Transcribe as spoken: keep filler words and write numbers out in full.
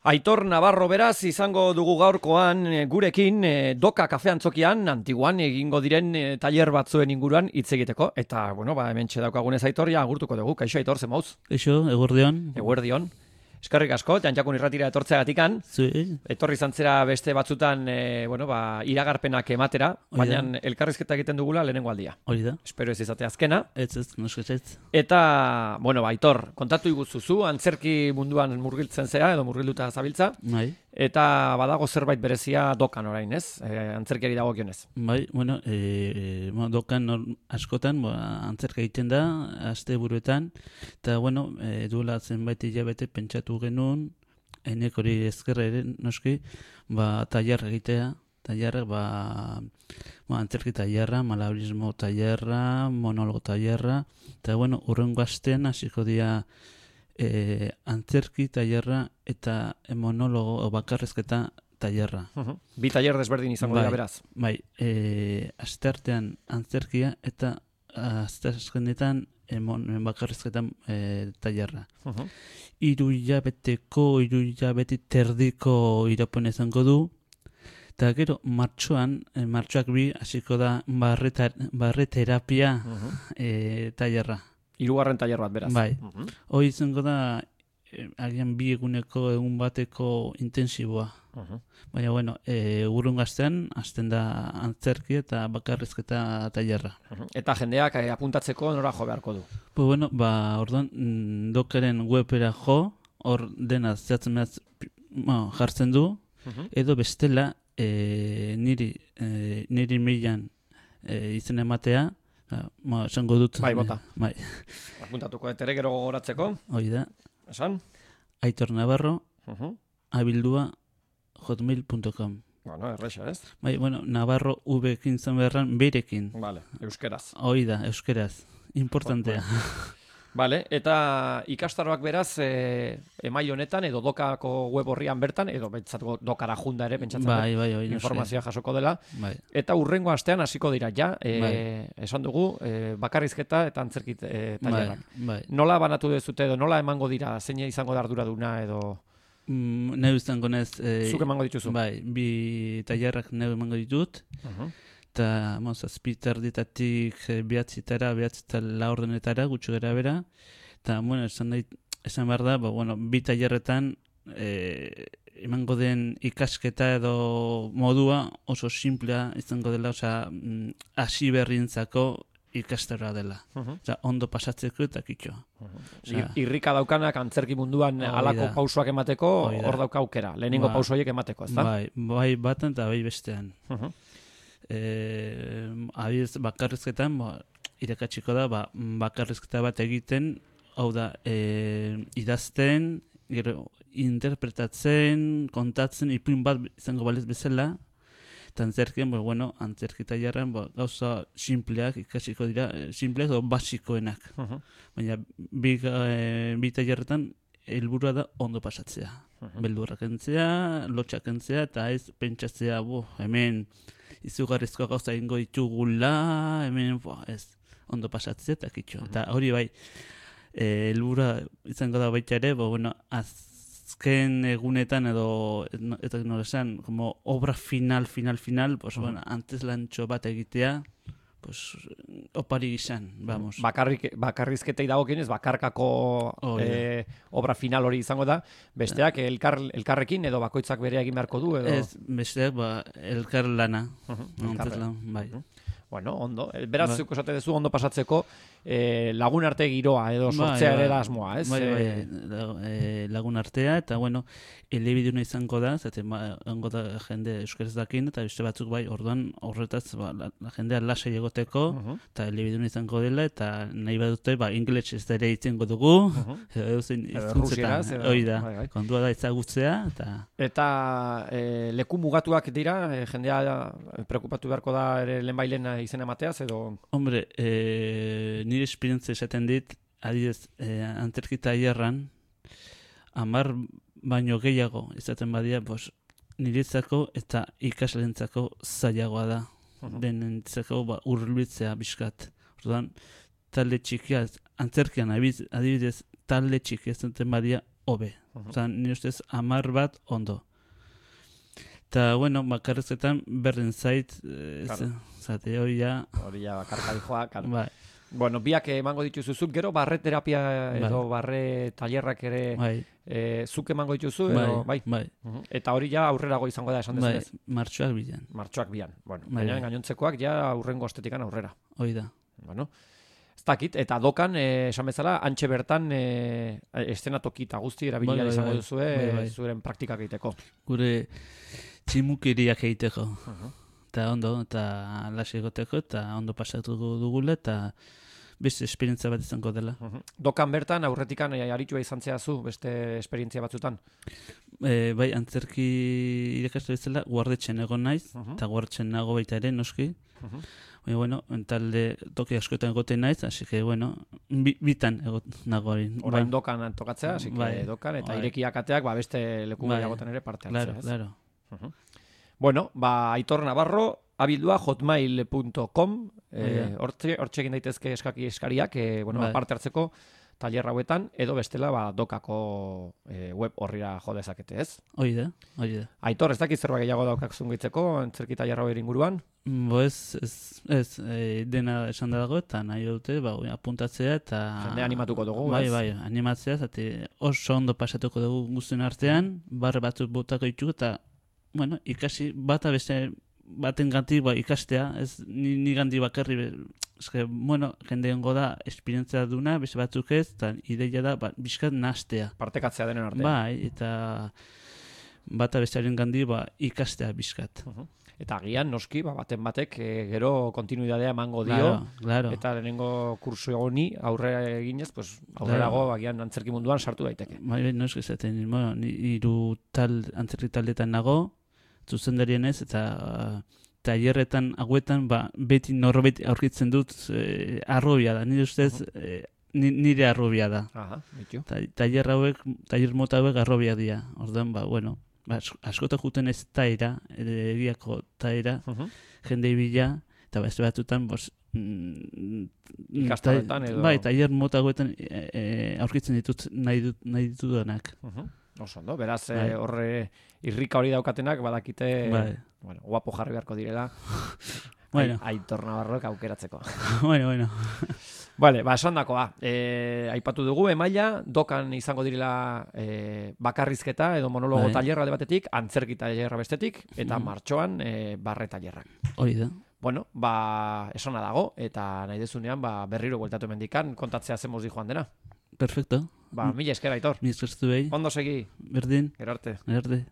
Aitor Navarro beraz izango dugu gaurkoan gurekin Doka Kafe Antzokian antiguan egingo diren tailer batzuen inguruan hitz egiteko eta bueno, ba hementxe daukagunez Aitorria agurtuko dugu. Kaixo Aitor, ze mauz? Kaixo, eguerdion. Eguerdion. Eskerrik asko, Jantxakun irratira etortzeagatikan. Zui. Etorri zantzera beste batzutan e, bueno, ba, iragarpenak ematera, baina elkarrizketa egiten dugula lehenengo aldia. Hori da. Espero ez izate azkena. Ez ez, nosketz. Eta, bueno, ba, Aitor, kontatu iguzuzu, antzerki munduan murgiltzen zea edo murgilduta zabiltza. Bai. Eta badago zerbait berezia Dokan orain, ez? E, antzerkiari dagokionez. Bai, bueno, e, e, Dokan nor, askotan, ba, antzerka egiten da, aste buruetan, eta, bueno, e, duela zenbait hilabete pentsatu genuen, enek hori ezkerra ere, noski, ba, tailer egitea, tailerrak, ba, ba, antzerki tailerra, malabarismo tailerra, monologo tailerra, eta, bueno, urrengo astean hasiko dira e, antzerki tailerra eta monologo o bakarrizketa tailerra. Uh-huh. Bi tailer desberdin izango dira beraz. Bai, e, asteartean antzerkia eta asteazkenetan emon bakarrizketan e, tailerra. Uh-huh. Hiru hilabeteko, hiru hilabete terdiko iraupena izango du. Eta gero, martxoan, e, martxoak bi hasiko da barre, barre terapia uh-huh. e, tailerra. Hirugarren tailer bat beraz. Bai. Uh-huh. Hoi izango da e, agian bi eguneko egun bateko intensiboa. Uh-huh. Baina, bueno, e, urrun gaztean, azten da antzerki eta bakarrizketa tailerra. Uh-huh. Eta jendeak eh, apuntatzeko nora jo beharko du? Pues bueno, ba, orduan, Dokaren webera jo, hor dena zehatzen behaz bueno, jartzen du, uh-huh. edo bestela e, niri, e, niri milan e, izen ematea, ma, esango dut. Bai, bota. Bai. Apuntatuko etere gero gogoratzeko. Hoi da. Esan? Aitor Navarro, uh-huh. abildua, hotmail punto com. Bueno, erresa, ez? Bai, bueno, Navarro V-ekin zen beharran, berekin. Vale, euskeraz. Hoi da, euskeraz. Importantea. Vale, eta ikastaroak beraz, e, emai honetan, edo Dokako web horrian bertan, edo bentsat Dokara junda ere, pentsatzen bai, bai, bai, informazioa jasoko dela. Bai. Eta urrengo astean hasiko dira, ja, e, bai. esan dugu, e, bakarrizketa eta antzerkit e, tailerrak. Bai, bai. Nola banatu dezute edo, nola emango dira, zein izango da arduraduna edo... Mm, neu izango nez... E, Zuk emango dituzu? Bai, bi tailerrak neu emango ditut. Uh-huh. Eta, moz, azpitar ditatik behatzitara, behatzita laurdenetara, gutxo gara bera. Eta, bueno, esan, da, esan behar da, ba, bueno, bi tailerretan e, emango den ikasketa edo modua oso simplea izango dela, osea, hasi berrientzako ikastaroa dela. Uh-huh. Osa, ondo pasatzeko eta kitxo. Uh-huh. Osea, irrika daukanak antzerki munduan halako pausoak emateko, hor dauka aukera. Lehenengo ba, pausoiek emateko, ez da? Bai, bai batan eta bai bestean. Uh-huh. Eh, abiz bakarrizketan ba, irakatsiko da ba, bakarrizketa bat egiten, hau da e, idazten, gero interpretatzen, kontatzen, ipuin bat izango balez bezala, eta antzerkien, ba, bueno, antzerki tailerran ba, gauza simpleak ikasiko dira, simpleak edo basikoenak. Uh-huh. Baina bi, e, bi tailerretan helburua da ondo pasatzea. Uh-huh. Beldurrak entzea, lotxak entzea, eta ez pentsatzea, bo, hemen izugarrizko gauza ingo ditugula, hemen, bo, ez, ondo pasatzea eta kitxo. Uh-huh. Eta hori bai, helburua izango da baita ere, bo, bueno, azken egunetan edo, eta nola esan, como obra final, final, final, pues, uh-huh. bueno, antes lantxo bat egitea, pues, opari gizan, vamos. Bakarrik, bakarrizketei dagokienez, bakarkako oh, e, obra final hori izango da, besteak elkar, elkarrekin edo bakoitzak bere egin beharko du? Edo? Ez, besteak ba, elkar lana. Uh-huh, elkar lan, bai. Uh-huh. Bueno, ondo. Beraz, ba. Zuko esate dezu ondo pasatzeko e, lagun arte giroa edo sortzea bai, ere da asmoa, ez? Bai, bai, e, lagun artea, eta bueno, elebiduna izango da, zaten ba, da jende euskaraz dakin, eta beste batzuk bai, orduan horretaz ba, la, la jendea lasai egoteko, uh-huh. eta elebiduna izango dela, eta nahi badute, ba, ingles ez da ere itzengo dugu, uh-huh. edo zen izkuntzetan, hori da, bai, bai. Kontua da ezagutzea, eta... Eta e, leku mugatuak dira, e, jendea preokupatu beharko da ere lehenbailen izen emateaz, edo... Hombre, e, nire esperientzia esaten dit, adidez, e, antzerki tailerran, hamar baino gehiago izaten badia, pues, niretzako eta ikaslentzako zailagoa da. Uh-huh. Denentzako ba, urbiltzea bizkat. Orduan, talde txikia, antzerkian adibidez, talde txikia zenten badia hobe. Mhm. Osa, ni ustez hamar bat ondo. Eta, bueno, bakarrizketan berdin zait, eh, Claro. zate hori ja, Hori ja bakarka dijoa, claro. bai, Bueno, biak emango dituzuzuk, gero barre terapia edo barre tailerrak ere bai, e, zuk emango dituzu, edo, bai. bai, Mhm. Eta hori ja aurrerago izango da esan bai, dezunez. martxoak bilan, Martxoak bian. Bueno, Bai, baina bai. gainontzekoak ja aurrengo ostetikan aurrera. hori da. Bueno, ez dakit, eta dokan, eh, esan bezala, antxe bertan eh, eszenatoki eta guzti erabilia Bai, bai, izango bai. duzue Bai, bai. zuren praktikak egiteko. Gure tximukeriak egiteko. Mhm. Eta ondo, eta lasai egoteko, eta ondo pasatu dugula, eta beste esperientzia bat izango dela. Mhm. Dokan bertan, aurretikan eh, aritua izan zehazu, beste esperientzia batzutan. E, bai, antzerki irakasle bezala, guardetxen egon naiz, Mhm. eta guardetxen nago baita ere, noski. Mhm. Baina, bueno, talde toki askotan egoten naiz, así que, bueno, bi, bitan egot nago hori. Orain Ba, dokan tokatzea, así que Bai. dokan, eta Bai. irekiak ateak, ba, beste leku Bai. gehiagotan ere parte hartzea. Claro, ez? claro. Mhm. Bueno, ba, Aitor Navarro, abildua hotmail punto com, eh, Bai. hortxe hortxe egin daitezke eskaki eskariak, eh, bueno, Bai. parte hartzeko tailer hauetan, edo bestela, ba, dokako eh, web horrira jo dezakete, ez? Hori da, hori da. Aitor, ez dakit zerbait gehiago daukakzun gehitzeko, antzerki tailer hauer inguruan? Bo ez, ez, ez e, dena esan da dago, eta nahi dute, ba, apuntatzea, eta... Jende animatuko dugu, Bai, ez? bai, animatzea, zate oso ondo pasatuko dugu guztien artean, barre batzuk botako ditugu, eta, bueno, ikasi bata beste baten gantik ba, ikastea, ez ni, ni ganti bakarri, be- eske, bueno, jende hongo da, esperientzia duna, beste batzuk ez, eta ideia da, ba, bizkat nastea. Partekatzea denen artean. Bai, eta bata bestearen gandi, ba, ikastea bizkat. Mhm. Eta agian, noski, ba, baten batek eh, gero kontinuidadea emango dio, Claro, claro. eta lehenengo kursu honi aurrera eginez, pues, aurrerago agian antzerki munduan sartu daiteke. Bai, bai, no eski zaten, bueno, ni hiru tal, antzerki taldetan nago, zuzendarien ez, eta uh, tailerretan hauetan, ba, beti norbait aurkitzen dut eh, arrobia da, nire ustez, eh, ni- nire arrobia da. Aha, bitu. Ta, tailer hauek, tailer mota hauek arrobia dira. Orduan, ba, bueno, ba, asko- askotan juten ez taira, ere- egiako taira, Mhm. jende ibila, eta beste batzutan, bos, mm, Ikastoletan edo- Bai, tailer mota hauetan e, e, aurkitzen ditut nahi, dut, nahi ditudanak. Mhm. Oso ondo, beraz, Bai. eh, horre irrika hori daukatenak, badakite, Bai. bueno, guapo jarri beharko direla, Bueno. Ai- Aitor Navarrok aukeratzeko. bueno, bueno. Vale, ba, esan dakoa. E, aipatu dugu, emaila, dokan izango direla e, bakarrizketa edo monologo Bai. tailerra alde batetik, antzerki tailerra bestetik, eta Mhm. martxoan e, barre tailerrak. Hori da. Bueno, ba, esana dago, eta nahi dezunean, ba, berriro bueltatu mendikan, kontatzea zemoz di joan dena. Perfecto. Ba, mila esker, Aitor. Mi eskertu behi. Ondo segi, Berdin. gero arte. Erde.